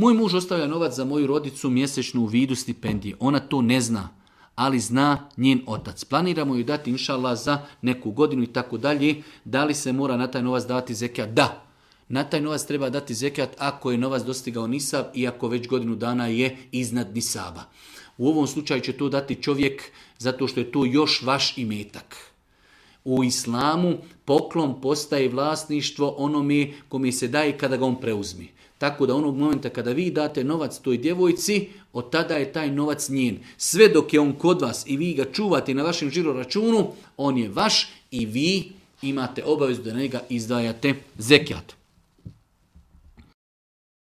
Moj muž ostavlja novac za moju rodicu mjesečno u vidu stipendije. Ona to ne zna, ali zna njen otac. Planiramo ju dati inšallah za neku godinu i tako dalje. Da li se mora na taj novac davati zekijat? Da. Na taj novac treba dati zekijat ako je novac dostigao nisab i ako već godinu dana je iznad nisaba. U ovom slučaju će to dati čovjek zato što je to još vaš imetak. U islamu poklon postaje vlasništvo onome kome se daje kada ga on preuzme. Tako da onog momenta kada vi date novac toj djevojci, od tada je taj novac njen. Sve dok je on kod vas i vi ga čuvate na vašem žiro računu, on je vaš i vi imate obavezu da na njega izdvajate zekijat.